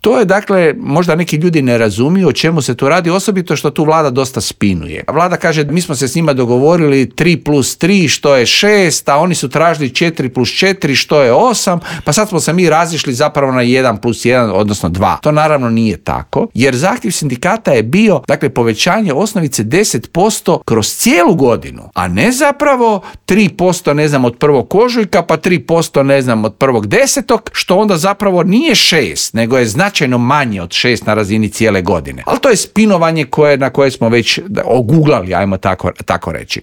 To je dakle, možda neki ljudi ne razumiju o čemu se tu radi, osobito što tu vlada dosta spinuje. Vlada kaže mi smo se s njima dogovorili 3+3 što je 6, a oni su tražili 4+4 što je 8, pa sad smo se mi razišli zapravo na 1+1 odnosno 2. To naravno nije tako, jer zahtjev sindikata je bio dakle povećanje osnovice 10% kroz cijelu godinu, a ne zapravo 3% ne znam od 1. ožujka pa 3% ne znam od 1.10. što onda zapravo nije 6, nego je značajno manje od 6 na razini cijele godine. Ali to je spinovanje na koje smo već oguglali, ajmo tako reći.